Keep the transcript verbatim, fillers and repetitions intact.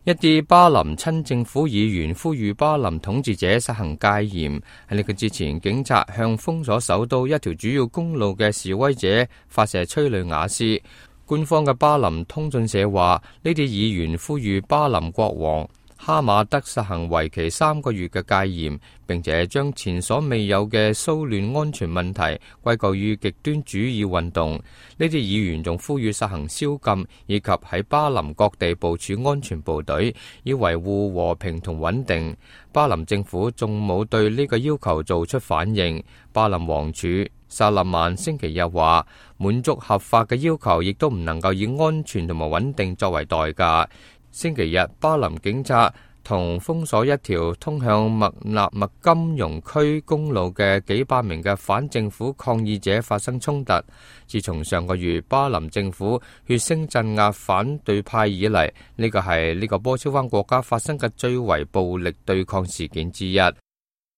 一啲巴林親政府議員呼籲巴林統治者實行戒嚴。喺呢個之前，警察向封鎖首都一條主要公路嘅示威者發射催淚瓦斯。官方嘅巴林通訊社話，呢啲議員呼籲巴林國王哈馬德實行為期三個月嘅戒嚴，並且將前所未有嘅騷亂安全問題歸咎於極端主義運動。呢啲議員仲呼籲實行宵禁，以及喺巴林各地部署安全部隊，以維護和平同穩定。巴林政府仲冇對呢個要求做出反應。巴林王儲薩勒曼星期日話，滿足合法嘅要求，亦都唔能夠以安全同埋穩定作為代價。星期日，巴林警察同封鎖一條通向麥納麥金融區公路嘅幾百名嘅反政府抗議者發生衝突。自從上個月巴林政府血腥鎮壓反對派以嚟，呢個係呢個波斯灣國家發生嘅最為暴力對抗事件之一。